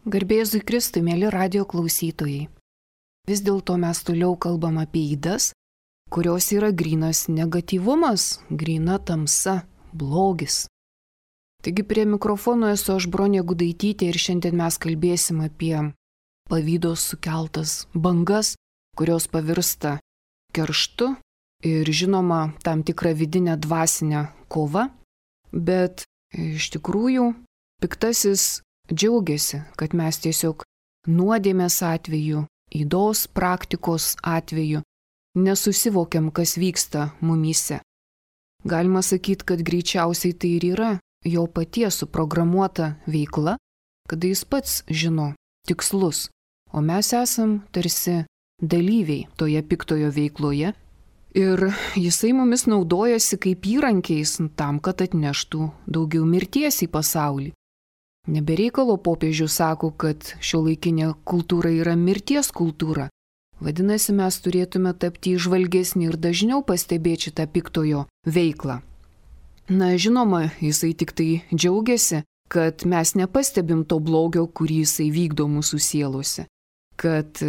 Garbėzui Kristui, mėly radio klausytojai. Vis dėlto mes toliau kalbam apie ydas, kurios yra grynas negatyvumas, gryna tamsa, blogis. Taigi prie mikrofono esu aš Bronė Gudaitytė ir šiandien mes kalbėsim apie pavydo sukeltas bangas, kurios pavirsta kerštu ir žinoma tam tikrą vidinę dvasinę kovą, bet iš tikrųjų piktasis džiaugiasi, kad mes tiesiog nuodėmės atveju, ydos praktikos atveju nesusivokiam, kas vyksta mumyse. Galima sakyti, kad greičiausiai tai ir yra jo paties suprogramuota veikla, kada jis pats žino tikslus, o mes esam tarsi dalyviai toje piktojo veikloje ir jisai mumis naudojasi kaip įrankiais tam, kad atneštų daugiau mirties į pasaulį. Nebereikalo popiežius sako, kad šiuolaikinė kultūra yra mirties kultūra. Vadinasi, mes turėtume tapti įžvalgesni ir dažniau pastebėti šitą piktojo veiklą. Na, žinoma, jisai tik tai džiaugiasi, kad mes nepastebim to blogio, kurį jisai vykdo mūsų sielose. Kad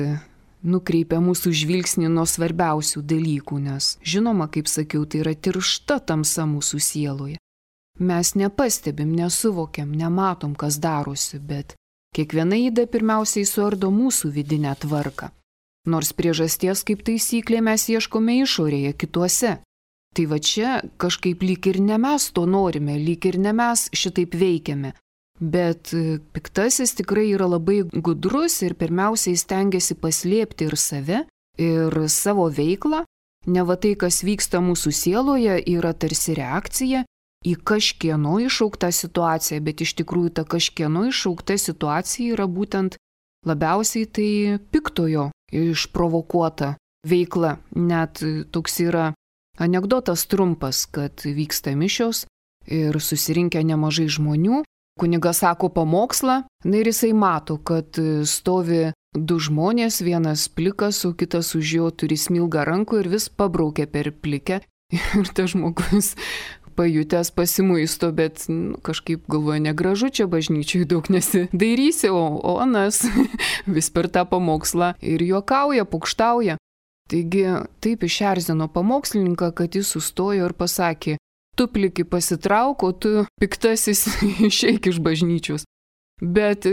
nukreipia mūsų žvilgsnį nuo svarbiausių dalykų, nes, žinoma, kaip sakiau, tai yra tiršta tamsa mūsų sieloje. Mes nepastebim, nesuvokiam, nematom, kas darosi, bet kiekviena yda pirmiausiai suardo mūsų vidinę tvarką. Nors priežasties kaip taisyklė mes ieškome išorėje, kituose. Tai va čia kažkaip lyg ir ne mes to norime, lyg ir ne mes šitaip veikiame. Bet piktasis tikrai yra labai gudrus ir pirmiausiai stengiasi paslėpti ir save, ir savo veiklą. Neva tai, kas vyksta mūsų sieloje, yra tarsi reakcija į kažkieno iššauktą situaciją, bet iš tikrųjų ta kažkieno iššaukta situacija yra būtent labiausiai tai piktojo išprovokuota veikla. Net toks yra anekdotas trumpas, kad vyksta mišios ir susirinkę nemažai žmonių, kunigas sako pamokslą, na ir jisai mato, kad stovi du žmonės, vienas plikas, o kitas už jo turi smilgą rankų ir vis pabraukia per plikę ir tas žmogus pajutęs pasimuisto, bet kažkaip galvoja, negražu čia bažnyčiai daug nesidairysi, o anas vis per tą pamokslą ir juokauja, pukštauja. Taigi taip išerzino pamokslininką, kad jis sustojo ir pasakė, tu pliki pasitrauk, o tu piktasis išeik iš bažnyčios. Bet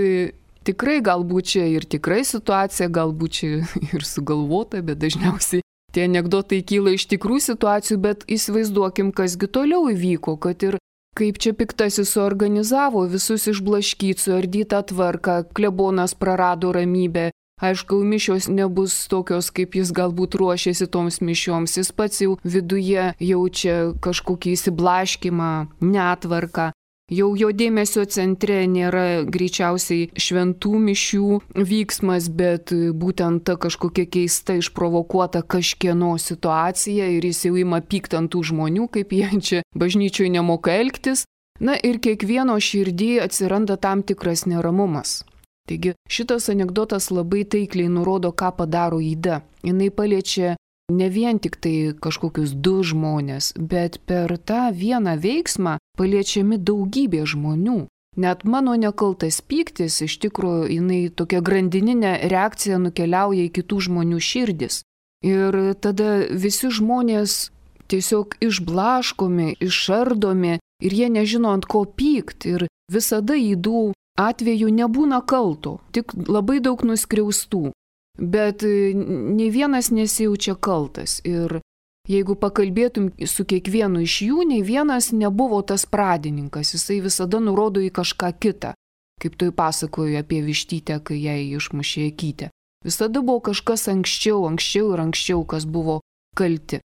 tikrai galbūt čia ir tikrai situacija, galbūt čia ir sugalvota, bet dažniausiai tie anekdotai kyla iš tikrų situacijų, bet įsivaizduokim, kasgi toliau įvyko, kad ir kaip čia piktasis suorganizavo visus išblaškyti, suardytą tvarką, klebonas prarado ramybę, aišku, mišios nebus tokios, kaip jis galbūt ruošėsi toms mišioms, jis pats jau viduje jaučia kažkokį įsiblaškimą, netvarką. Jau jo dėmesio centre nėra greičiausiai šventų mišių vyksmas, bet būtent ta kažkokia keista išprovokuota kažkieno situacija ir jis jau ima pykt ant tų žmonių, kaip jie čia bažnyčioje nemoka elgtis. Na ir kiekvieno širdį atsiranda tam tikras neramumas. Taigi šitas anekdotas labai taikliai nurodo, ką padaro yda. Jinai paliečia ne vien tik tai kažkokius du žmonės, bet per tą vieną veiksmą paliečiami daugybė žmonių. Net mano nekaltas pyktis, iš tikrųjų, jinai tokia grandininė reakcija nukeliauja į kitų žmonių širdis. Ir tada visi žmonės tiesiog išblaškomi, išardomi ir jie nežino ant ko pykt. Ir visada ydų atveju nebūna kalto, tik labai daug nuskriaustų. Bet nei vienas nesijaučia kaltas ir jeigu pakalbėtum su kiekvienu iš jų, nei vienas nebuvo tas pradininkas, jisai visada nurodo į kažką kitą, kaip tu pasakoji apie vištytę, kai jai išmušė akytę. Visada buvo kažkas anksčiau ir anksčiau, kas buvo kalti.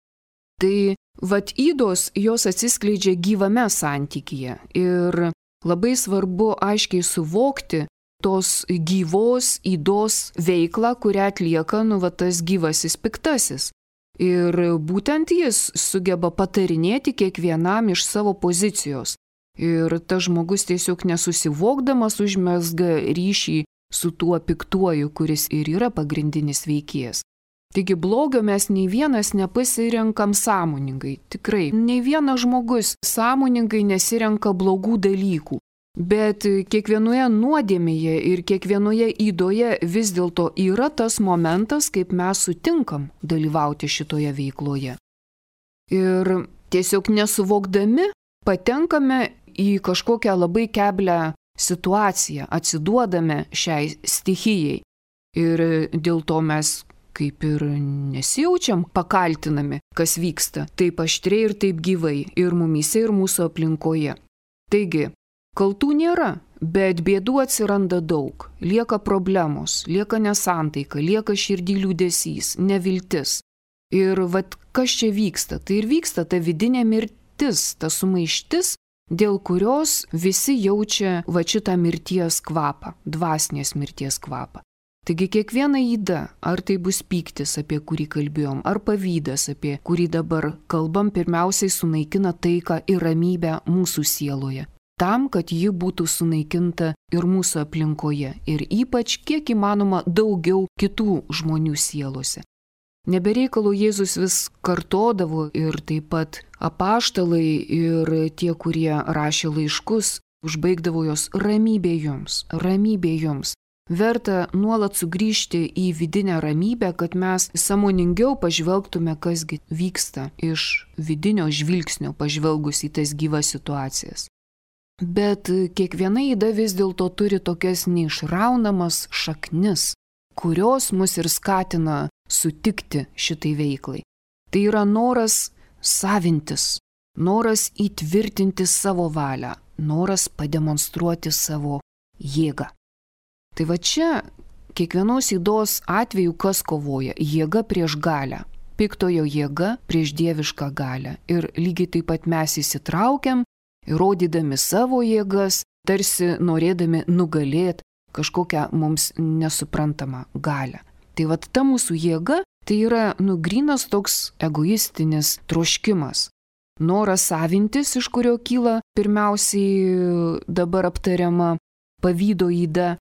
Tai vat ydos, jos atsiskleidžia gyvame santykyje ir labai svarbu aiškiai suvokti, tos gyvos ydos veiklą, kurią atlieka tas gyvasis piktasis. Ir būtent jis sugeba patarinėti kiekvienam iš savo pozicijos. Ir tas žmogus tiesiog nesusivokdamas užmezga ryšį su tuo piktuoju, kuris ir yra pagrindinis veikėjas. Taigi blogio mes nei vienas nepasirenkam sąmoningai. Tikrai, nei vienas žmogus sąmoningai nesirenka blogų dalykų. Bet kiekvienoje nuodėmėje ir kiekvienoje įdoje vis dėlto yra tas momentas, kaip mes sutinkam dalyvauti šitoje veikloje. Ir tiesiog nesuvokdami patenkame į kažkokią labai keblią situaciją, atsiduodame šiai stichijai. Ir dėl to mes kaip ir nesijaučiam pakaltinami, kas vyksta taip aštriai ir taip gyvai ir mumyse, ir mūsų aplinkoje. Taigi, kaltų nėra, bet bėdų atsiranda daug. Lieka problemos, lieka nesantaika, lieka širdį liūdesys, neviltis. Ir vat kas čia vyksta? Tai ir vyksta ta vidinė mirtis, ta sumaištis, dėl kurios visi jaučia va šitą mirties kvapą, dvasinės mirties kvapą. Taigi kiekviena yda, ar tai bus pyktis, apie kurį kalbėjom, ar pavydas, apie kurį dabar kalbam, pirmiausiai sunaikina taiką ir ramybę mūsų sieloje. Tam, kad ji būtų sunaikinta ir mūsų aplinkoje, ir ypač kiek įmanoma daugiau kitų žmonių sielose. Nebereikalo Jėzus vis kartodavo ir taip pat apaštalai ir tie, kurie rašė laiškus, užbaigdavo jos ramybė jums, ramybė jums. Verta nuolat sugrįžti į vidinę ramybę, kad mes sąmoningiau pažvelgtume, kasgi vyksta iš vidinio žvilgsnio pažvelgus į tas gyvas situacijas. Bet kiekviena yda vis dėlto turi tokias neišraunamas šaknis, kurios mus ir skatina sutikti šitai veiklai. Tai yra noras savintis, noras įtvirtinti savo valią, noras pademonstruoti savo jėgą. Tai va čia kiekvienos ydos atveju kas kovoja? Jėga prieš galią, piktojo jėga prieš dievišką galią. Ir lygiai taip pat mes įsitraukiam, įrodydami savo jėgas, tarsi norėdami nugalėti kažkokią mums nesuprantamą galią. Tai va ta mūsų jėga, tai yra grynas toks egoistinis troškimas. Noras savintis, iš kurio kyla pirmiausiai dabar aptariama pavydo yda.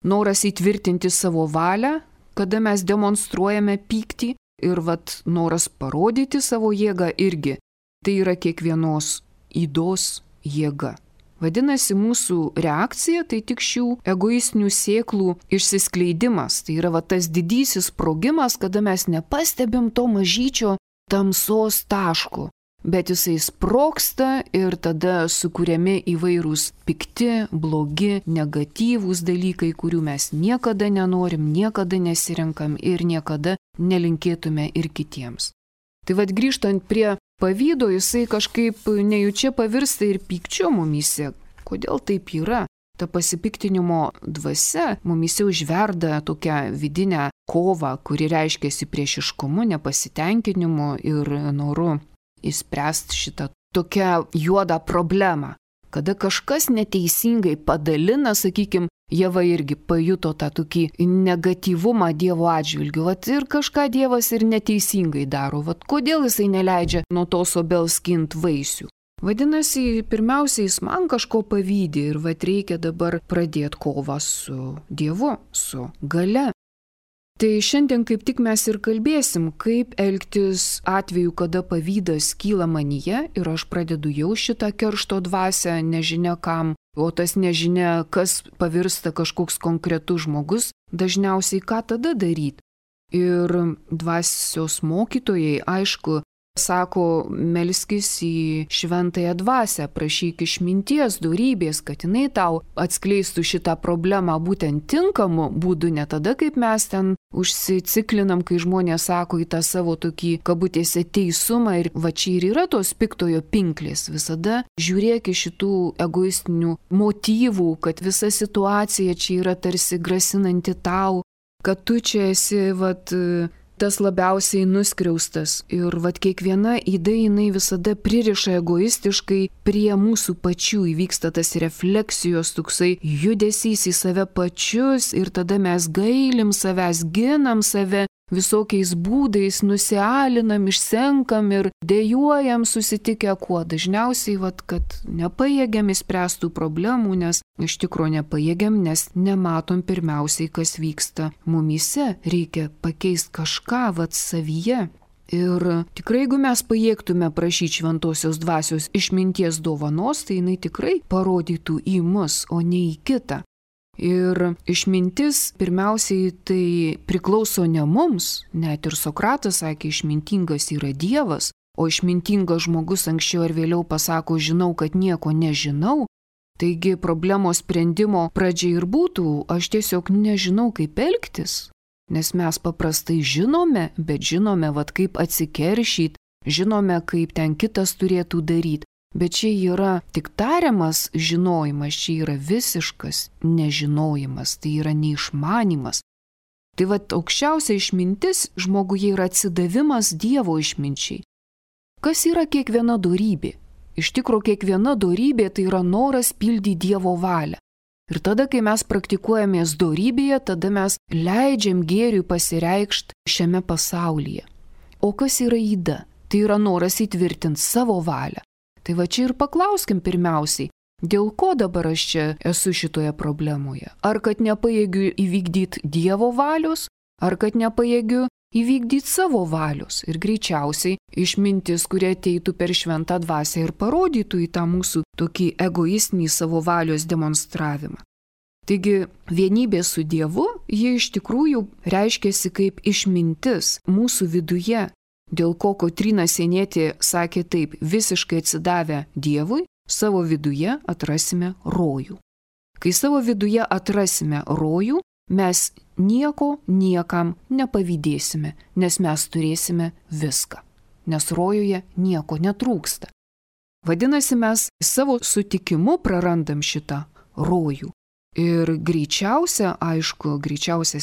Noras įtvirtinti savo valią, kada mes demonstruojame pyktį, ir noras parodyti savo jėgą irgi. Tai yra kiekvienos ydos jėga. Vadinasi, mūsų reakcija tai tik šių egoistinių sėklų išsiskleidimas. Tai yra tas didysis sprogimas, kada mes nepastebim to mažyčio tamsos taško. Bet jisai sprogsta ir tada sukuriami įvairūs pikti, blogi, negatyvūs dalykai, kurių mes niekada nenorim, niekada nesirenkam ir niekada nelinkėtume ir kitiems. Tai grįžtant prie pavydo, jisai kažkaip nejučia pavirsta ir pykčio mumyse. Kodėl taip yra? Ta pasipiktinimo dvasia mumyse užverda tokią vidinę kovą, kuri reiškiasi priešiškumu, nepasitenkinimu ir noru įspręsti šitą tokią juodą problemą. Kada kažkas neteisingai padalina, sakykime, Ieva irgi pajuto tą tokį negatyvumą Dievo atžvilgiu. Ir kažką Dievas ir neteisingai daro. Kodėl jisai neleidžia nuo tos obels skint vaisių? Vadinasi, pirmiausia, jis man kažko pavydi ir reikia dabar pradėti kovą su Dievu, su galia. Tai šiandien kaip tik mes ir kalbėsim, kaip elgtis atveju, kada pavydas kyla manyje ir aš pradedu jau šitą keršto dvasią, nežinia kam, o tas nežinia, kas pavirsta kažkoks konkretus žmogus, dažniausiai ką tada daryti. Ir dvasios mokytojai, aišku, sako, melskis į šventąją dvasią, prašyk išminties, dorybės, kad jinai tau atskleistų šitą problemą būtent tinkamu būdu, ne tada, kaip mes ten užsiciklinam, kai žmonės sako į tą savo tokį kabutėse teisumą ir čia ir yra tos piktojo pinklės. Visada žiūrėk iš šitų egoistinių motyvų, kad visa situacija čia yra tarsi grasinanti tau, kad tu čia esi tas labiausiai nuskriaustas. Ir kiekviena yda jinai visada pririša egoistiškai prie mūsų pačių, įvyksta tas refleksijos, toksai judesys į save pačius ir tada mes gailim savęs, ginam save visokiais būdais, nusialinam, išsenkam ir dejuojam susitikę kuo. Dažniausiai, kad nepajėgiam įspręstų problemų, nes iš tikrųjų nepajėgiam, nes nematom pirmiausiai, kas vyksta mumyse. Reikia pakeisti kažką savyje. Ir tikrai, jeigu mes pajėgtume prašyti šventosios dvasios išminties dovanos, tai jinai tikrai parodytų į mus, o ne į kitą. Ir išmintis pirmiausiai tai priklauso ne mums, net ir Sokratas sakė, išmintingas yra Dievas, o išmintingas žmogus anksčiau ar vėliau pasako, žinau, kad nieko nežinau. Taigi problemos sprendimo pradžia ir būtų, aš tiesiog nežinau, kaip elgtis. Nes mes paprastai žinome, bet žinome, kaip atsikeršyt, žinome, kaip ten kitas turėtų daryti. Bet čia yra tik tariamas žinojimas, čia yra visiškas nežinojimas, tai yra neišmanimas. Tai aukščiausia išmintis žmoguje yra atsidavimas Dievo išminčiai. Kas yra kiekviena dorybė? Iš tikrųjų, kiekviena dorybė tai yra noras pildyti Dievo valią. Ir tada, kai mes praktikuojamės dorybėje, tada mes leidžiam gėriui pasireikšti šiame pasaulyje. O kas yra yda? Tai yra noras įtvirtinti savo valią. Tai čia ir paklauskim pirmiausiai, dėl ko dabar aš čia esu šitoje problemoje? Ar kad nepajėgiu įvykdyti Dievo valios, ar kad nepajėgiu įvykdyti savo valios? Ir greičiausiai išmintis, kurie ateitų per šventą dvasią ir parodytų į tą mūsų tokį egoistinį savo valios demonstravimą. Taigi vienybė su Dievu, ji iš tikrųjų reiškiasi kaip išmintis mūsų viduje, dėl ko Kotryna Sienietė sakė taip, visiškai atsidavę Dievui, savo viduje atrasime rojų. Kai savo viduje atrasime rojų, mes nieko niekam nepavydėsime, nes mes turėsime viską, nes rojuje nieko netrūksta. Vadinasi, mes savo sutikimu prarandam šitą rojų. Ir greičiausias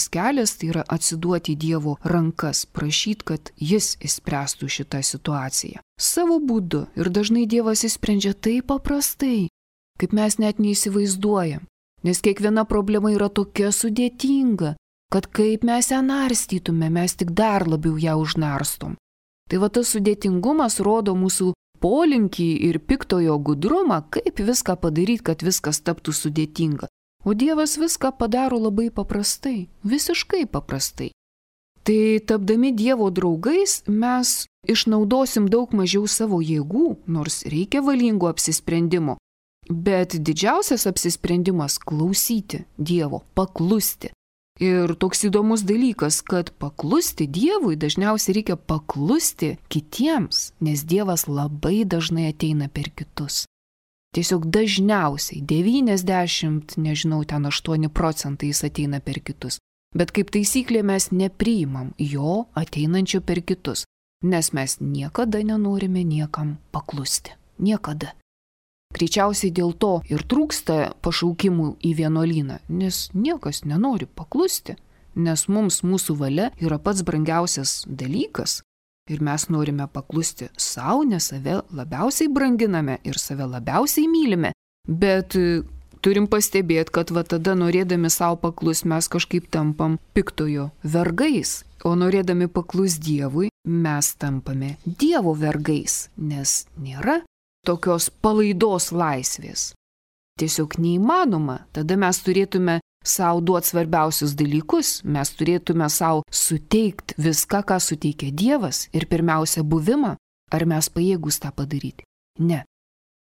kelias tai yra atsiduoti Dievo rankas, prašyti, kad Jis išspręstų šitą situaciją. Savo būdu. Ir dažnai Dievas išsprendžia taip paprastai, kaip mes net neįsivaizduojam. Nes kiekviena problema yra tokia sudėtinga, kad kaip mes ją narstytume, mes tik dar labiau ją užnarstom. Tai tas sudėtingumas rodo mūsų polinkį ir piktojo gudrumą, kaip viską padaryti, kad viskas taptų sudėtinga. O Dievas viską padaro labai paprastai, visiškai paprastai. Tai tapdami Dievo draugais mes išnaudosim daug mažiau savo jėgų, nors reikia valingo apsisprendimo. Bet didžiausias apsisprendimas – klausyti Dievo, paklusti. Ir toks įdomus dalykas, kad paklusti Dievui dažniausiai reikia paklusti kitiems, nes Dievas labai dažnai ateina per kitus. Tiesiog dažniausiai 8% jis ateina per kitus. Bet kaip taisyklė mes nepriimam jo ateinančio per kitus, nes mes niekada nenorime niekam paklusti. Niekada. Greičiausiai dėl to ir trūksta pašaukimų į vienuolyną, nes niekas nenori paklusti, nes mums mūsų valia yra pats brangiausias dalykas ir mes norime paklusti savo, nes save labiausiai branginame ir save labiausiai mylime, bet turim pastebėti, kad tada norėdami savo paklus mes kažkaip tampam piktojo vergais, o norėdami paklus Dievui mes tampame Dievo vergais, nes nėra tokios palaidos laisvės. Tiesiog neįmanoma. Tada mes turėtume savo duoti svarbiausius dalykus, mes turėtume savo suteikti viską, ką suteikia Dievas ir pirmiausia buvimą. Ar mes pajėgus tą padaryti? Ne.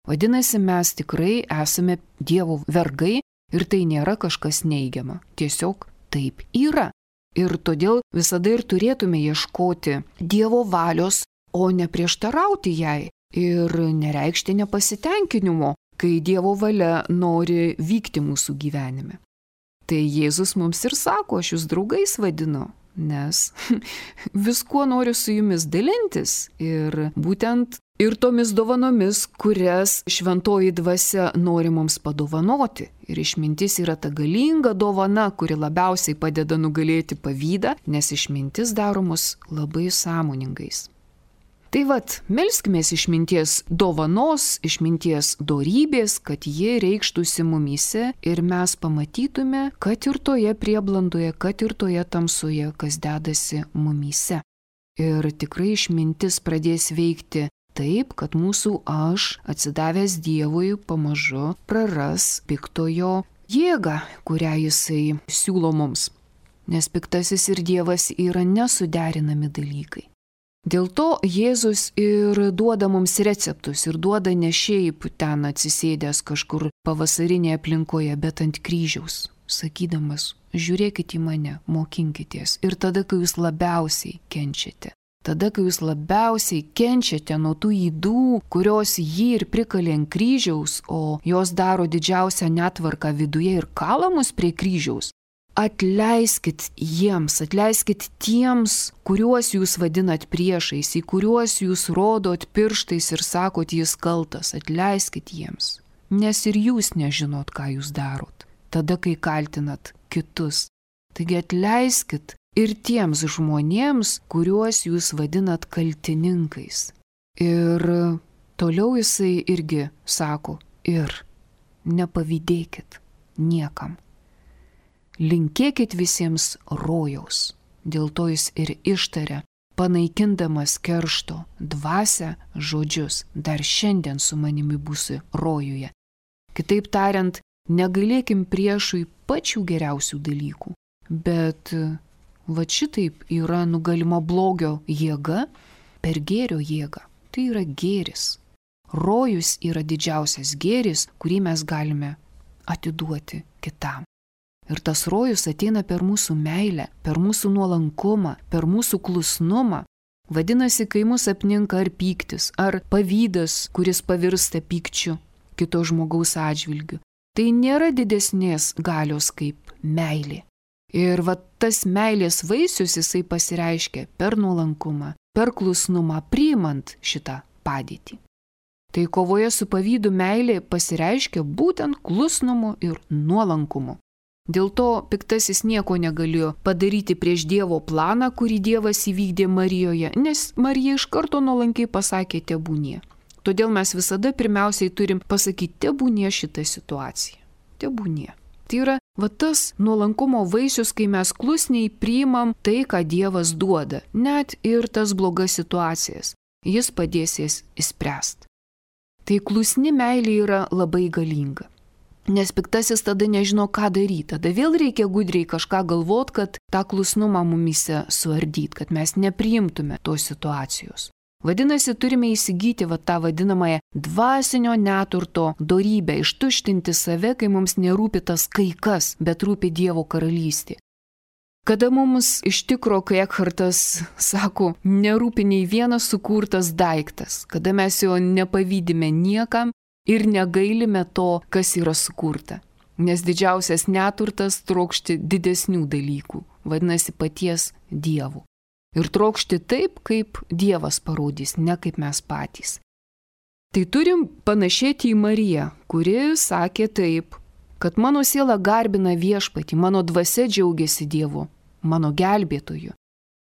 Vadinasi, mes tikrai esame Dievo vergai ir tai nėra kažkas neigiama. Tiesiog taip yra. Ir todėl visada ir turėtume ieškoti Dievo valios, o ne prieštarauti jai. Ir nereikšti nepasitenkinimo, kai Dievo valia nori vykti mūsų gyvenime. Tai Jėzus mums ir sako, aš jūs draugais vadinu, nes viskuo noriu su jumis dalintis ir būtent ir tomis dovanomis, kurias šventoji dvasia nori mums padovanoti. Ir išmintis yra ta galinga dovana, kuri labiausiai padeda nugalėti pavydą, nes išmintis daro mus labai sąmoningais. Tai melskimės išminties dovanos, išminties dorybės, kad jie reikštųsi mumyse ir mes pamatytume, kad ir toje prieblandoje, kad ir toje tamsoje, kas dedasi mumyse. Ir tikrai išmintis pradės veikti taip, kad mūsų aš, atsidavęs Dievui, pamažu praras piktojo jėgą, kurią jisai siūlo mums. Nes piktasis ir Dievas yra nesuderinami dalykai. Dėl to Jėzus ir duoda mums receptus ir duoda ne šiaip ten atsisėdęs kažkur pavasarinėje aplinkoje, bet ant kryžiaus, sakydamas, žiūrėkit į mane, mokinkitės. Ir tada, kai jūs labiausiai kenčiate. Tada, kai jūs labiausiai kenčiate nuo tų ydų, kurios jį ir prikalė ant kryžiaus, o jos daro didžiausią netvarką viduje ir kala mus prie kryžiaus, atleiskit jiems, atleiskit tiems, kuriuos jūs vadinat priešais, į kuriuos jūs rodot pirštais ir sakot, jis kaltas, atleiskit jiems, nes ir jūs nežinot, ką jūs darot, tada, kai kaltinat kitus. Taigi atleiskit ir tiems žmonėms, kuriuos jūs vadinat kaltininkais. Ir toliau jisai irgi sako, ir nepavydėkit niekam. Linkėkit visiems rojaus, dėl to jis ir ištarė, panaikindamas keršto dvasią žodžius, dar šiandien su manimi būsi rojuje. Kitaip tariant, negailėkim priešui pačių geriausių dalykų, bet va šitaip yra nugalima blogio jėga per gėrio jėgą. Tai yra gėris. Rojus yra didžiausias gėris, kurį mes galime atiduoti kitam. Ir tas rojus ateina per mūsų meilę, per mūsų nuolankumą, per mūsų klusnumą. Vadinasi, kai mus apninka ar pyktis, ar pavydas, kuris pavirsta pykčiu kito žmogaus atžvilgiu, tai nėra didesnės galios kaip meilė. Ir va tas meilės vaisius jisai pasireiškia per nuolankumą, per klusnumą, priimant šitą padėtį. Tai kovoje su pavydu meilė pasireiškia būtent klusnumu ir nuolankumu. Dėl to piktasis nieko negalėjo padaryti prieš Dievo planą, kurį Dievas įvykdė Marijoje, nes Marija iš karto nuolankiai pasakė tebūnie. Todėl mes visada pirmiausiai turim pasakyti tebūnie šitą situaciją. Tebūnie. Tai yra va tas nuolankumo vaisius, kai mes klusniai priimam tai, ką Dievas duoda, net ir tas blogas situacijas. Jis padės jas išspręsti. Tai klusni meilė yra labai galinga. Nes piktasis tada nežino, ką daryti. Tada vėl reikia gudriai kažką galvot, kad tą klusnumą mumise suardyt, kad mes nepriimtume tos situacijos. Vadinasi, turime įsigyti tą vadinamąją dvasinio neturto dorybę, ištuštinti save, kai mums nerūpi tas kaikas, bet rūpi Dievo karalystė. Kada mums iš tikro, kai Ekhartas sako, nerūpi nei vienas sukurtas daiktas, kada mes jo nepavydime niekam, ir negailime to, kas yra sukurta. Nes didžiausias neturtas trokšti didesnių dalykų, vadinasi paties Dievo. Ir trokšti taip, kaip Dievas parodys, ne kaip mes patys. Tai turim panašėti į Mariją, kuri sakė taip, kad mano siela garbina viešpatį, mano dvasia džiaugiasi Dievu, mano gelbėtoju.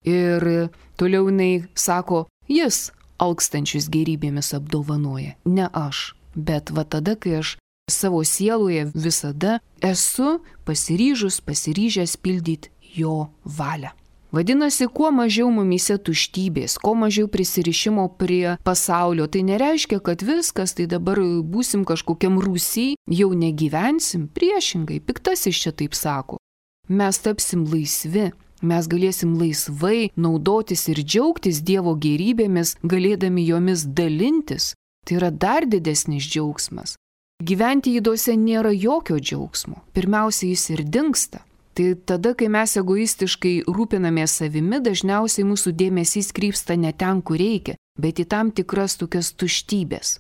Ir toliau jinai sako, jis alkstančius gerybėmis apdovanoja, ne aš. Bet va tada, kai aš savo sieloje visada esu pasiryžęs pildyti jo valią. Vadinasi, kuo mažiau mumyse tuštybės, kuo mažiau prisirišimo prie pasaulio, tai nereiškia, kad viskas, tai dabar būsim kažkokiam rūsy, jau negyvensim, priešingai, piktasis čia taip sako. Mes tapsim laisvi, mes galėsim laisvai naudotis ir džiaugtis Dievo gėrybėmis, galėdami jomis dalintis. Tai yra dar didesnis džiaugsmas. Gyventi ydose nėra jokio džiaugsmo. Pirmiausia, jis ir dingsta. Tai tada, kai mes egoistiškai rūpinamės savimi, dažniausiai mūsų dėmesys krypsta ne ten, kur reikia, bet į tam tikras tokias tuštybės.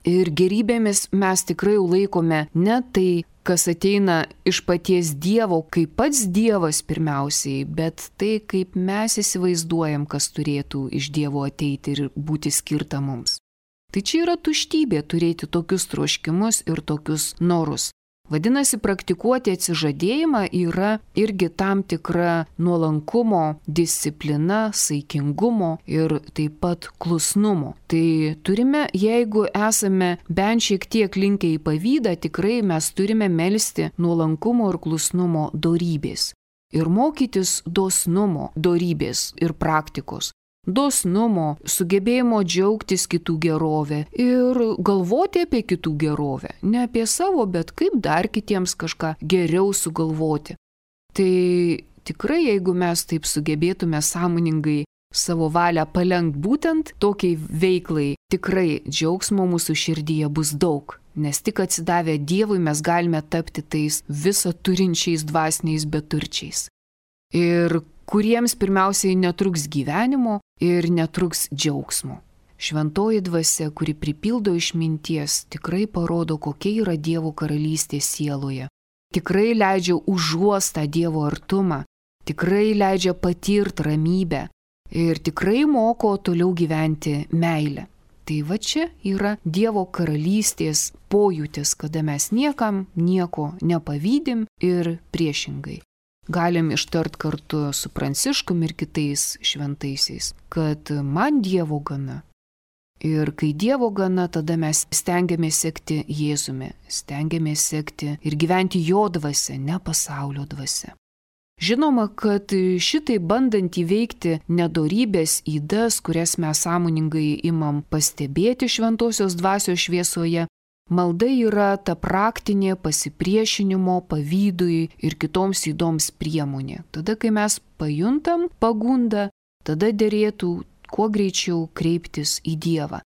Ir gerybėmis mes tikrai laikome ne tai, kas ateina iš paties Dievo, kaip pats Dievas pirmiausiai, bet tai, kaip mes įsivaizduojam, kas turėtų iš Dievo ateiti ir būti skirta mums. Tai čia yra tuštybė turėti tokius troškimus ir tokius norus. Vadinasi, praktikuoti atsižadėjimą yra irgi tam tikra nuolankumo, disciplina, saikingumo ir taip pat klusnumo. Tai turime, jeigu esame bent šiek tiek linkę į pavydą, tikrai mes turime melsti nuolankumo ir klusnumo dorybės. Ir mokytis dosnumo dorybės ir praktikos. Dosnumo, sugebėjimo džiaugtis kitų gerovę ir galvoti apie kitų gerovę. Ne apie savo, bet kaip dar kitiems kažką geriau sugalvoti. Tai tikrai, jeigu mes taip sugebėtume sąmoningai savo valią palenkt būtent tokiai veiklai, tikrai džiaugsmo mūsų širdyje bus daug. Nes tik atsidavę Dievui mes galime tapti tais visą turinčiais dvasiniais beturčiais. Ir kuriems pirmiausiai netruks gyvenimo ir netruks džiaugsmo. Šventoji dvasia, kuri pripildo išminties, tikrai parodo, kokia yra Dievo karalystė sieloje. Tikrai leidžia užuost tą Dievo artumą, tikrai leidžia patirti ramybę ir tikrai moko toliau gyventi meilę. Tai va čia yra Dievo karalystės pojūtis, kada mes niekam nieko nepavydim ir priešingai. Galim ištart kartu su Pranciškum ir kitais šventaisiais, kad man Dievo gana. Ir kai Dievo gana, tada mes stengiamės sekti Jėzumi, stengiamės sekti ir gyventi jo dvasia, ne pasaulio dvasia. Žinoma, kad šitai bandant įveikti nedorybės ydas, kurias mes sąmoningai imam pastebėti šventosios dvasios šviesoje, malda yra ta praktinė pasipriešinimo, pavydui ir kitoms ydoms priemonė. Tada, kai mes pajuntam pagundą, tada derėtų kuo greičiau kreiptis į Dievą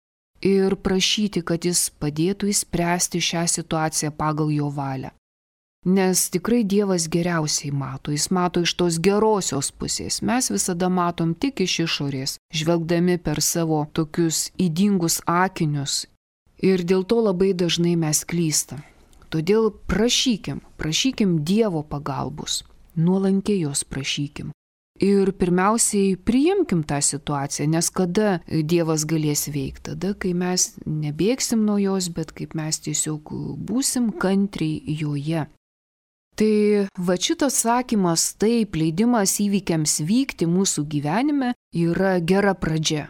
ir prašyti, kad Jis padėtų išspręsti šią situaciją pagal jo valią. Nes tikrai Dievas geriausiai mato, Jis mato iš tos gerosios pusės. Mes visada matom tik iš išorės, žvelgdami per savo tokius ydingus akinius. Ir dėl to labai dažnai mes klystam. Todėl prašykim Dievo pagalbos, nuolankiai jos prašykim. Ir pirmiausiai priimkim tą situaciją, nes kada Dievas galės veikti? Tada, kai mes nebėgsim nuo jos, bet kaip mes tiesiog būsim kantriai joje. Tai va šitas sakymas, taip, leidimas įvykiams vykti mūsų gyvenime yra gera pradžia.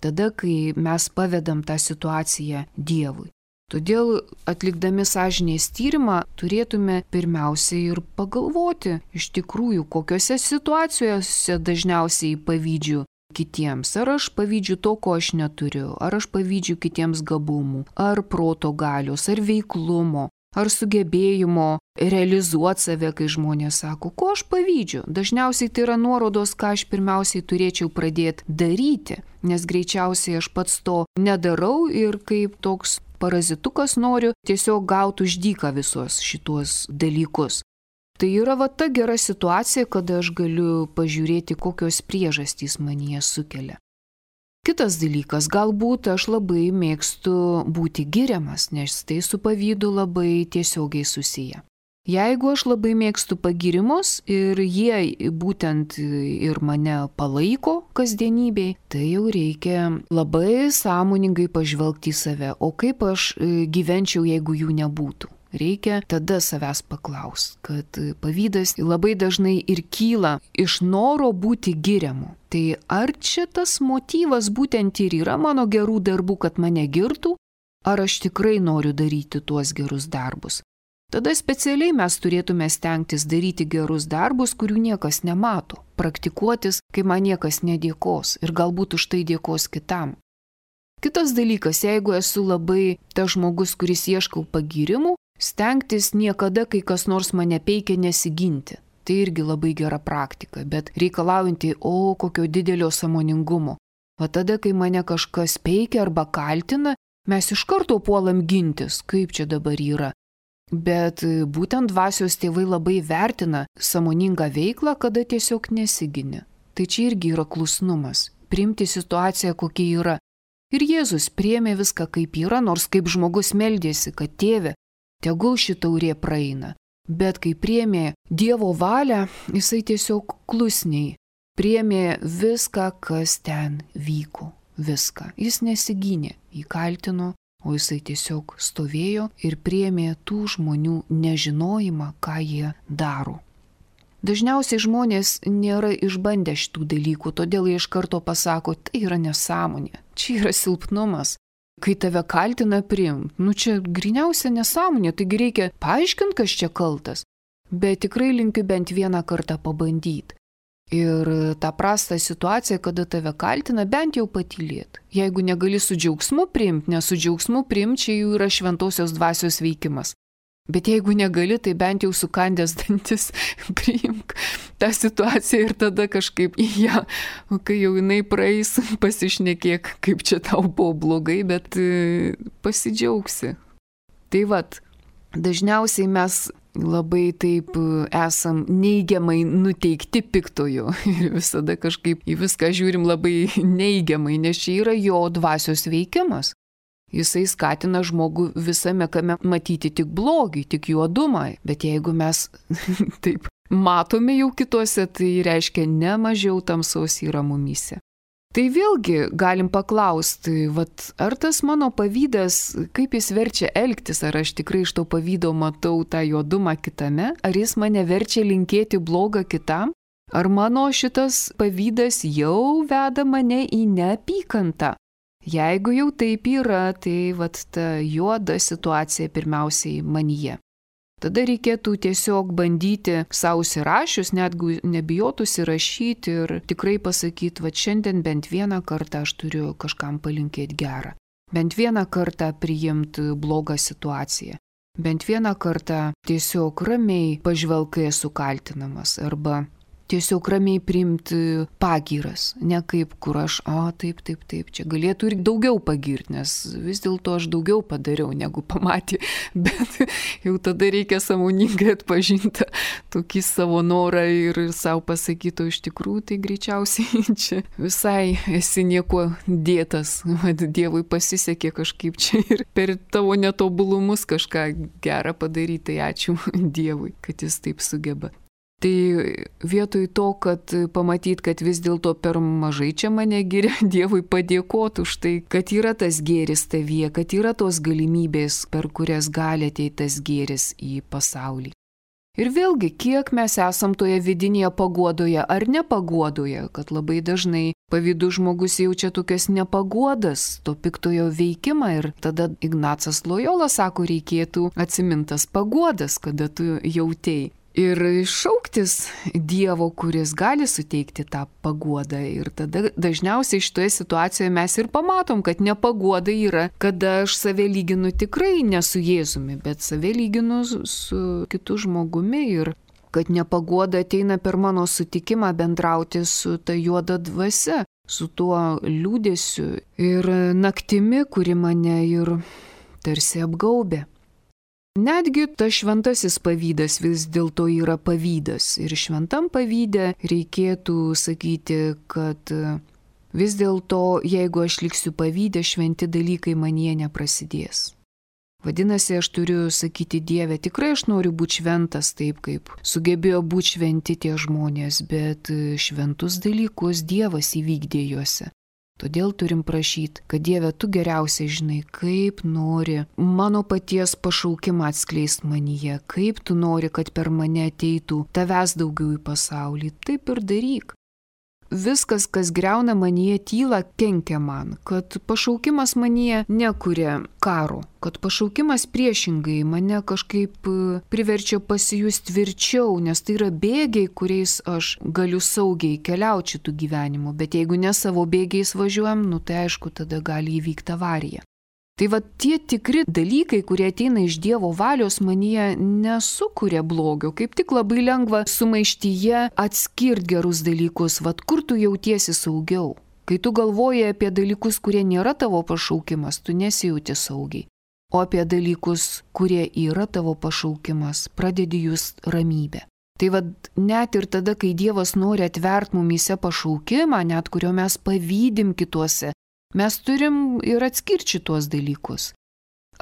Tada, kai mes pavedam tą situaciją Dievui. Todėl atlikdami sąžinės tyrimą turėtume pirmiausiai ir pagalvoti iš tikrųjų, kokiose situacijose dažniausiai pavydžiu kitiems. Ar aš pavydžiu to, ko aš neturiu, ar aš pavydžiu kitiems gabumų, ar proto galios, ar veiklumo, ar sugebėjimo realizuoti save, kai žmonės sako, ko aš pavydžiu. Dažniausiai tai yra nuorodos, ką aš pirmiausiai turėčiau pradėti daryti, nes greičiausiai aš pats to nedarau ir kaip toks parazitukas noriu tiesiog gauti už dyką visos šitos dalykus. Tai yra va ta gera situacija, kada aš galiu pažiūrėti, kokios priežastys manyje sukelia. Kitas dalykas, galbūt aš labai mėgstu būti giriamas, nes tai su pavydu labai tiesiogiai susiję. Jeigu aš labai mėgstu pagirimus ir jie būtent ir mane palaiko kasdienybėj, tai jau reikia labai sąmoningai pažvelgti į save, o kaip aš gyvenčiau, jeigu jų nebūtų. Reikia tada savęs paklausti, kad pavydas labai dažnai ir kyla iš noro būti giriamu. Tai ar čia tas motyvas būtent ir yra mano gerų darbų, kad mane girtų, ar aš tikrai noriu daryti tuos gerus darbus? Tada specialiai mes turėtume stengtis daryti gerus darbus, kurių niekas nemato, praktikuotis, kai man niekas nedėkos ir galbūt už tai dėkos kitam. Kitas dalykas, jeigu esu labai tas žmogus, kuris ieškau pagyrimų, stengtis niekada, kai kas nors mane peikia, nesiginti. Tai irgi labai gera praktika, bet reikalaujanti, kokio didelio sąmoningumo. O tada, kai mane kažkas peikia arba kaltina, mes iš karto puolam gintis, kaip čia dabar yra. Bet būtent dvasios tėvai labai vertina sąmoningą veiklą, kada tiesiog nesigini. Tai čia irgi yra klusnumas, priimti situaciją, kokia yra. Ir Jėzus priėmė viską kaip yra, nors kaip žmogus meldėsi, kad tėve, tegul ši taurė praeina. Bet kai priėmė Dievo valią, jisai tiesiog klusniai priėmė viską, kas ten vyko. Viską. Jis nesigynė, jį kaltino, o jisai tiesiog stovėjo ir priėmė tų žmonių nežinojimą, ką jie daro. Dažniausiai žmonės nėra išbandę šitų dalykų, todėl jie iš karto pasako, tai yra nesąmonė, čia yra silpnumas. Kai tave kaltina priimt, čia gryniausia nesąmonė, taigi reikia paaiškinti, kas čia kaltas. Bet tikrai linkiu bent vieną kartą pabandyti. Ir tą prastą situaciją, kada tave kaltina, bent jau patylėti. Jeigu negali su džiaugsmu priimti, nes su džiaugsmu priimti čia jau yra šventosios dvasios veikimas. Bet jeigu negali, tai bent jau sukandęs dantis priimk tą situaciją ir tada kažkaip į ją, kai jau jinai praeis, pasišnekėk, kaip čia tau buvo blogai, bet pasidžiaugsi. Tai vat, dažniausiai mes labai taip esam neigiamai nuteikti piktojo ir visada kažkaip į viską žiūrim labai neigiamai, nes čia yra jo dvasios veikimas. Jisai skatina žmogų visame kame matyti tik blogį, tik juodumą, bet jeigu mes taip matome jau kituose, tai reiškia ne mažiau tamsos yra mumyse. Tai vėlgi galim paklausti, ar tas mano pavydas, kaip jis verčia elgtis, ar aš tikrai iš to pavydo matau tą juodumą kitame, ar jis mane verčia linkėti blogą kitam, ar mano šitas pavydas jau veda mane į neapykantą. Jeigu jau taip yra, tai ta juoda situacija pirmiausiai manyje. Tada reikėtų tiesiog bandyti savo įrašius, netgi nebijotų įrašyti ir tikrai pasakyti, šiandien bent vieną kartą aš turiu kažkam palinkėti gerą. Bent vieną kartą priimti blogą situaciją. Bent vieną kartą tiesiog ramiai pažvelgai esu kaltinamas arba tiesiog ramiai priimti pagyras, ne kaip kur aš, taip, čia galėtų ir daugiau pagirti, nes vis dėlto aš daugiau padariau, negu pamatė, bet jau tada reikia sąmoningai atpažinti tokį savo norą ir savo pasakyti, iš tikrųjų, tai greičiausiai čia visai esi nieko dėtas, Dievui pasisekė kažkaip čia ir per tavo netobulumus kažką gerą padaryti, tai ačiū Dievui, kad jis taip sugeba. Tai vietoj to, kad pamatyt, kad vis dėlto per mažai čia mane giria, Dievui padėkoti už tai, kad yra tas gėris tavyje, kad yra tos galimybės, per kurias gali ateiti tas gėris į pasaulį. Ir vėlgi, kiek mes esam toje vidinėje paguodoje ar nepaguodoje, kad labai dažnai pavydų žmogus jaučia tokias nepaguodas, to piktojo veikimą ir tada Ignacas Lojola sako, reikėtų atsimintas paguodas, kada tu jautėjai. Ir šauktis Dievo, kuris gali suteikti tą paguodą. Ir tada dažniausiai šitoje situacijoje mes ir pamatom, kad nepaguoda yra, kada aš save lyginu tikrai ne su Jėzumi, bet save lyginu su kitu žmogumi ir kad nepaguoda ateina per mano sutikimą bendrauti su ta juoda dvasia, su tuo liūdėsiu ir naktimi, kuri mane ir tarsi apgaubė. Netgi tas šventasis pavydas vis dėlto yra pavydas ir šventam pavyde reikėtų sakyti, kad vis dėlto, jeigu aš liksiu pavydę, šventi dalykai manyje neprasidės. Vadinasi, aš turiu sakyti Dieve, tikrai aš noriu būti šventas taip, kaip sugebėjo būti šventi tie žmonės, bet šventus dalykus Dievas įvykdė juose. Todėl turim prašyti, kad Dieve, tu geriausiai žinai, kaip nori mano paties pašaukimą atskleist manyje, kaip tu nori, kad per mane ateitų tavęs daugiau į pasaulį, taip ir daryk. Viskas, kas griauna manyje tylą, kenkia man, kad pašaukimas manyje nekuria karo, kad pašaukimas priešingai mane kažkaip priverčia pasijusti tvirčiau, nes tai yra bėgiai, kuriais aš galiu saugiai keliauti šitų gyvenimų, bet jeigu ne savo bėgiais važiuojam, tai aišku, tada gali įvykti avarija. Tai tie tikri dalykai, kurie ateina iš Dievo valios, manyje nesukuria blogio. Kaip tik labai lengva sumaištyje atskirti gerus dalykus, kur tu jautiesi saugiau. Kai tu galvoji apie dalykus, kurie nėra tavo pašaukimas, tu nesijauti saugiai. O apie dalykus, kurie yra tavo pašaukimas, pradedi just ramybę. Tai net ir tada, kai Dievas nori atverti mumyse pašaukimą, net kurio mes pavydim kituose, mes turim ir atskirti šitos dalykus.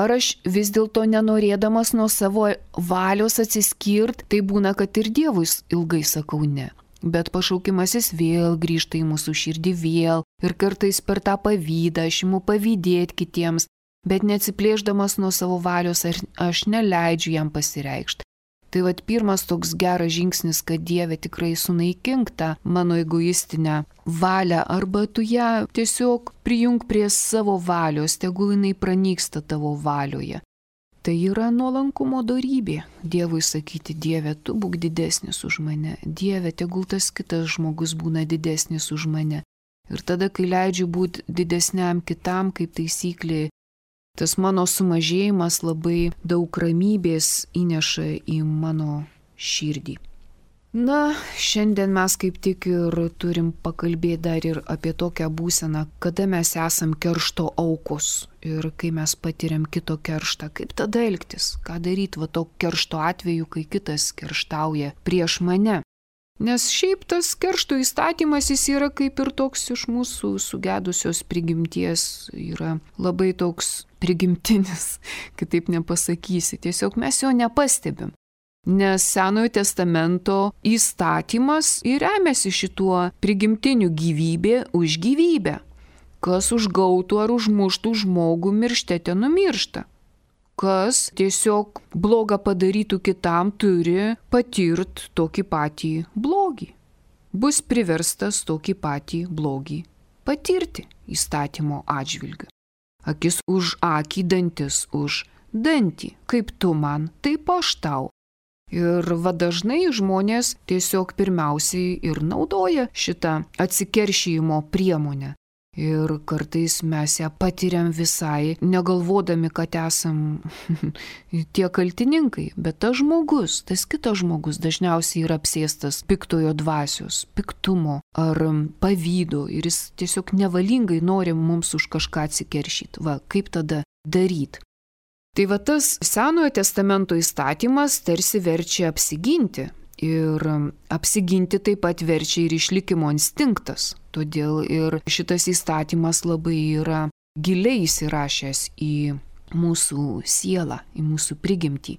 Ar aš vis dėlto nenorėdamas nuo savo valios atsiskirt, tai būna, kad ir Dievui ilgai sakau ne. Bet pašaukimas jis vėl grįžta į mūsų širdį vėl ir kartais per tą pavydą aš imu pavydėti kitiems, bet neatsiplėšdamas nuo savo valios aš neleidžiu jam pasireikšti. Tai pirmas toks geras žingsnis, kad Dieve tikrai sunaikink tą mano egoistinę valią arba tu ją tiesiog prijung prie savo valios, tegul jinai pranyksta tavo valioje. Tai yra nuolankumo dorybė. Dievui sakyti, Dieve, tu būk didesnis už mane. Dieve, tegul tas kitas žmogus būna didesnis už mane. Ir tada, kai leidžiu būti didesniam kitam, kaip taisyklė, tas mano sumažėjimas labai daug ramybės įneša į mano širdį. Na, šiandien mes kaip tik ir turim pakalbėti dar ir apie tokią būseną, kada mes esam keršto aukos ir kai mes patiriam kito kerštą, kaip tada elgtis, ką daryti va to keršto atveju, kai kitas kerštauja prieš mane. Nes šiaip tas keršto įstatymas jis yra kaip ir toks iš mūsų sugedusios prigimties, yra labai toks prigimtinis, kitaip nepasakysi, tiesiog mes jo nepastebim. Nes Senojo testamento įstatymas ir remiasi šituo prigimtiniu gyvybė už gyvybę. Kas užgautų ar užmuštų žmogų miršte te numiršta. Kas tiesiog blogą padarytų kitam turi patirt tokį patį blogį. Bus priverstas tokį patį blogį patirti įstatymo atžvilgiu. Akis už akį, dantis už dantį. Kaip tu man, taip aš tau. Ir va dažnai žmonės tiesiog pirmiausiai ir naudoja šitą atsikeršijimo priemonę. Ir kartais mes ją patiriam visai, negalvodami, kad esam tie kaltininkai. Bet tas žmogus, tas kitas žmogus dažniausiai yra apsėstas piktojo dvasios, piktumo ar pavydo. Ir jis tiesiog nevalingai nori mums už kažką atsikeršyti. Va, kaip tada daryti? Tai va tas Senojo testamento įstatymas tarsi verčia apsiginti. Ir apsiginti taip pat verčia ir išlikimo instinktas. Todėl ir šitas įstatymas labai yra giliai įsirašęs į mūsų sielą, į mūsų prigimtį.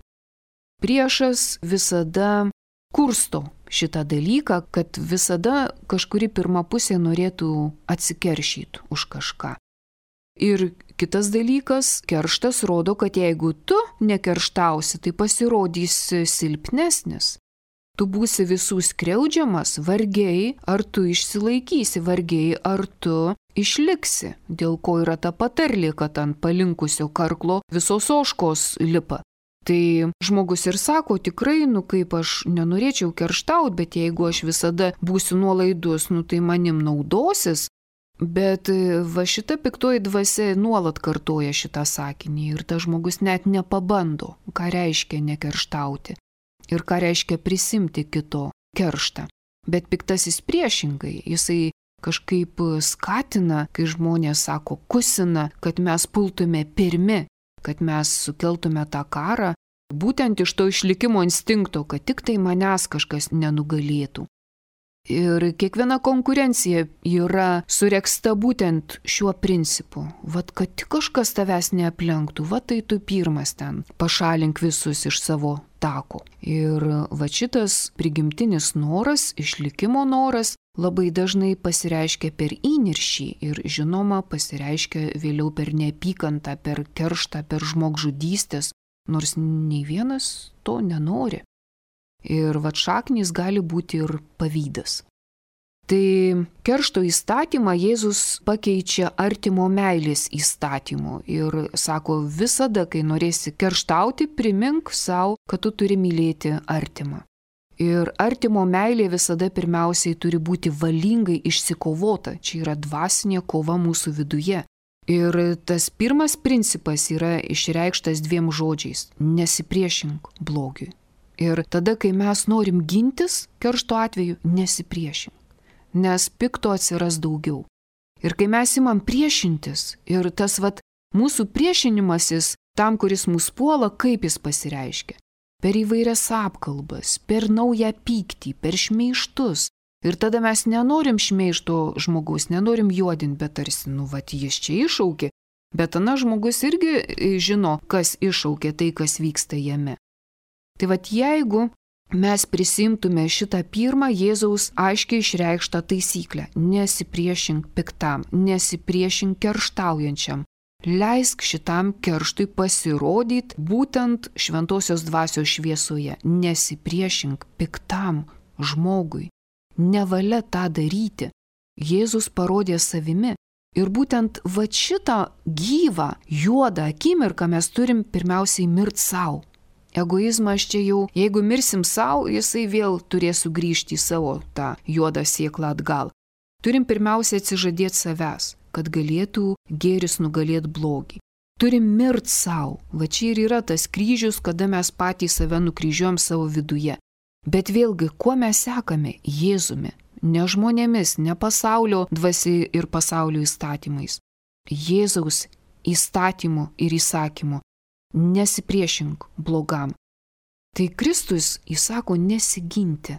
Priešas visada kursto šitą dalyką, kad visada kažkuri pirma pusė norėtų atsikeršyti už kažką. Ir kitas dalykas, kerštas rodo, kad jeigu tu nekerštausi, tai pasirodysi silpnesnis. Tu būsi visų skriaudžiamas, vargiai ar tu išsilaikysi, vargiai ar tu išliksi, dėl ko yra ta patarlė, kad ant palinkusio karklo visos ožkos lipa. Tai žmogus ir sako, tikrai, kaip aš nenorėčiau kerštauti, bet jeigu aš visada būsiu nuolaidus, tai manim naudosis. Bet va šita piktoji dvasia nuolat kartoja šitą sakinį ir tas žmogus net nepabando, ką reiškia nekerštauti ir ką reiškia prisimti kito kerštą. Bet piktasis priešingai, jisai kažkaip skatina, kai žmonės sako, kusina, kad mes pultume pirmi, kad mes sukeltume tą karą, būtent iš to išlikimo instinkto, kad tik tai manęs kažkas nenugalėtų. Ir kiekviena konkurencija yra suregsta būtent šiuo principu. Vat, kad tik kažkas tavęs neaplenktų, tai tu pirmas ten pašalink visus iš savo tako. Ir va šitas prigimtinis noras, išlikimo noras, labai dažnai pasireiškia per įniršį ir žinoma pasireiškia vėliau per neapykantą, per kerštą, per žmogžudystės, nors nei vienas to nenori. Ir va šaknys gali būti ir pavydas. Tai keršto įstatymą Jėzus pakeičia artimo meilės įstatymu ir sako, visada, kai norėsi kerštauti, primink savo, kad tu turi mylėti artimą. Ir artimo meilė visada pirmiausiai turi būti valingai išsikovota, čia yra dvasinė kova mūsų viduje. Ir tas pirmas principas yra išreikštas 2 žodžiais – nesipriešink blogiui. Ir tada, kai mes norim gintis, keršto atveju nesipriešink, nes pikto atsiras daugiau. Ir kai mes imam priešintis, ir tas mūsų priešinimasis tam, kuris mus puola, kaip jis pasireiškia. Per įvairias apkalbas, per naują pyktį, per šmeižtus. Ir tada mes nenorim šmeižto žmogaus, nenorim juodinti, bet tarsi, jis čia iššaukė. Bet ana žmogus irgi žino, kas iššaukė tai, kas vyksta jame. Tai jeigu mes prisimtume šitą pirmą Jėzaus aiškiai išreikštą taisyklę – nesipriešink piktam, nesipriešink kerštaujančiam, leisk šitam kerštui pasirodyti būtent šventosios dvasios šviesoje, nesipriešink piktam žmogui, nevalia tą daryti. Jėzus parodė savimi ir būtent šitą gyvą, juodą akimirką mes turim pirmiausiai mirti savo. Egoizmas čia jau, jeigu mirsim savo, jisai vėl turės sugrįžti į savo tą juodą sėklą atgal. Turim pirmiausia atsižadėti savęs, kad galėtų gėris nugalėti blogį. turim mirt savo. Va čia ir yra tas kryžius, kada mes patys save nukryžiuojam savo viduje. Bet vėlgi, kuo mes sekame? Jėzumi. Ne žmonėmis, ne pasaulio dvasia ir pasaulio įstatymais. Jėzaus įstatymu ir įsakymu. Nesipriešink blogam. Tai Kristus įsako nesiginti.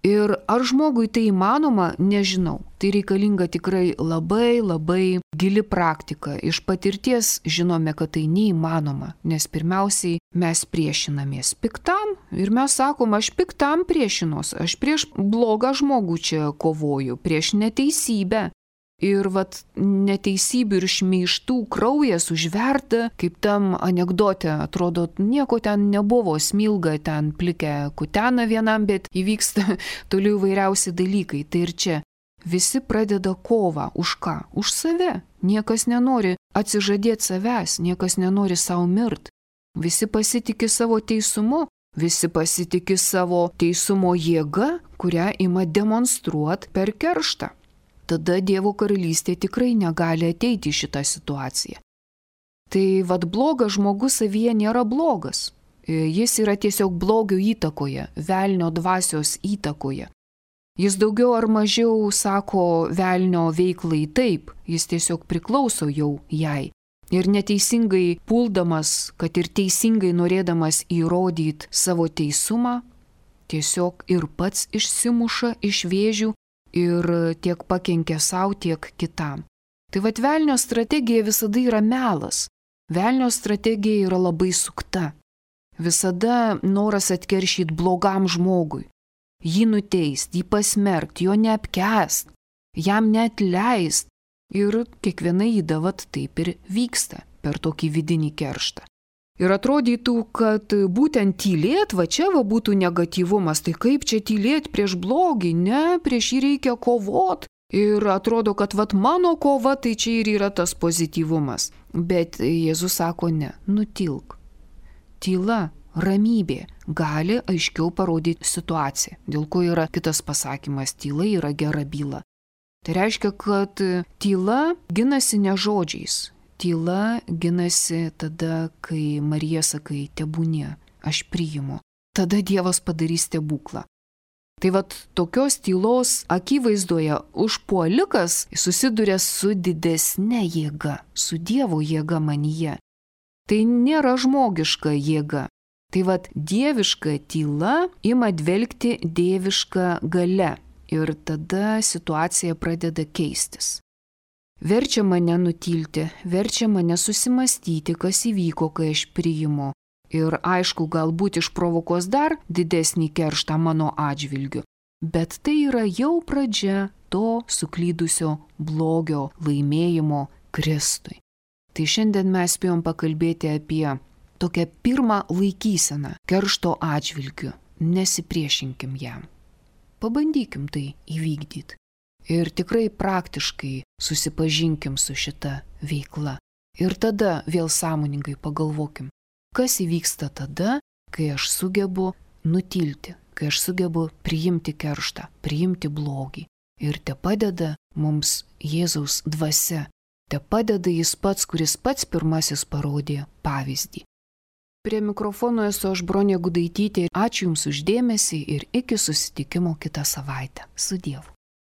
Ir ar žmogui tai įmanoma, nežinau. Tai reikalinga tikrai labai gili praktika. Iš patirties žinome, kad tai neįmanoma, nes pirmiausiai mes priešinamės piktam ir mes sakom, aš piktam priešinos, aš prieš blogą žmogų čia kovoju, prieš neteisybę. Ir neteisybių ir šmeižtų kraujas užverda, kaip tam anekdote, atrodo, nieko ten nebuvo, smilga ten plikę kutena vienam, bet įvyksta toliau įvairiausi dalykai. Tai ir čia visi pradeda kovą. Už ką? Už save. Niekas nenori atsižadėti savęs, niekas nenori savo mirt. Visi pasitikė savo teisumu, visi pasitikė savo teisumo jėga, kurią ima demonstruoti per kerštą. Tada Dievo karalystė tikrai negali ateiti į šitą situaciją. Tai blogas žmogus savyje nėra blogas. Jis yra tiesiog blogio įtakoje, velnio dvasios įtakoje. Jis daugiau ar mažiau sako velnio veiklai taip, jis tiesiog priklauso jau jai. Ir neteisingai puldamas, kad ir teisingai norėdamas įrodyti savo teisumą, tiesiog ir pats išsimuša iš vėžių, ir tiek pakenkia savo, tiek kitam. Tai velnio strategija visada yra melas. Velnio strategija yra labai sukta. Visada noras atkeršyti blogam žmogui. Jį nuteist, jį pasmerkt, jo neapkęst, jam neatleist. Ir kiekviena įda taip ir vyksta per tokį vidinį kerštą. Ir atrodytų, kad būtent tylėt, čia būtų negatyvumas, tai kaip čia tylėt prieš blogį, ne, prieš jį reikia kovot. Ir atrodo, kad mano kova, tai čia ir yra tas pozityvumas. Bet Jėzus sako ne, nutilk. Tyla, ramybė gali aiškiau parodyti situaciją, dėl ko yra kitas pasakymas, tyla yra gera byla. Tai reiškia, kad tyla ginasi ne žodžiais. Tyla ginasi tada, kai Marija sakai, tebūnie, aš priimu. Tada Dievas padarys stebuklą. Tai tokios tylos akivaizdoje užpuolikas susiduria su didesne jėga, su Dievo jėga manyje. Tai nėra žmogiška jėga. Tai dieviška tyla ima dvelgti dieviška galia ir tada situacija pradeda keistis. Verčia mane nutilti, verčia mane susimastyti, kas įvyko, kai aš priimu. Ir aišku, galbūt išprovokos dar didesnį kerštą mano atžvilgiu. Bet tai yra jau pradžia to suklydusio blogio laimėjimo Kristui. Tai šiandien mes spėjom pakalbėti apie tokią pirmą laikyseną keršto atžvilgiu. Nesipriešinkim jam. Pabandykim tai įvykdyti. Ir tikrai praktiškai susipažinkim su šita veikla. Ir tada vėl sąmoningai pagalvokim, kas įvyksta tada, kai aš sugebu nutilti, kai aš sugebu priimti kerštą, priimti blogį. Ir te padeda mums Jėzaus dvasia, te padeda jis pats, kuris pats pirmasis parodė pavyzdį. Prie mikrofono esu aš Bronė Gudaitytė. Ačiū Jums už dėmesį ir iki susitikimo kitą savaitę. Su Dievu.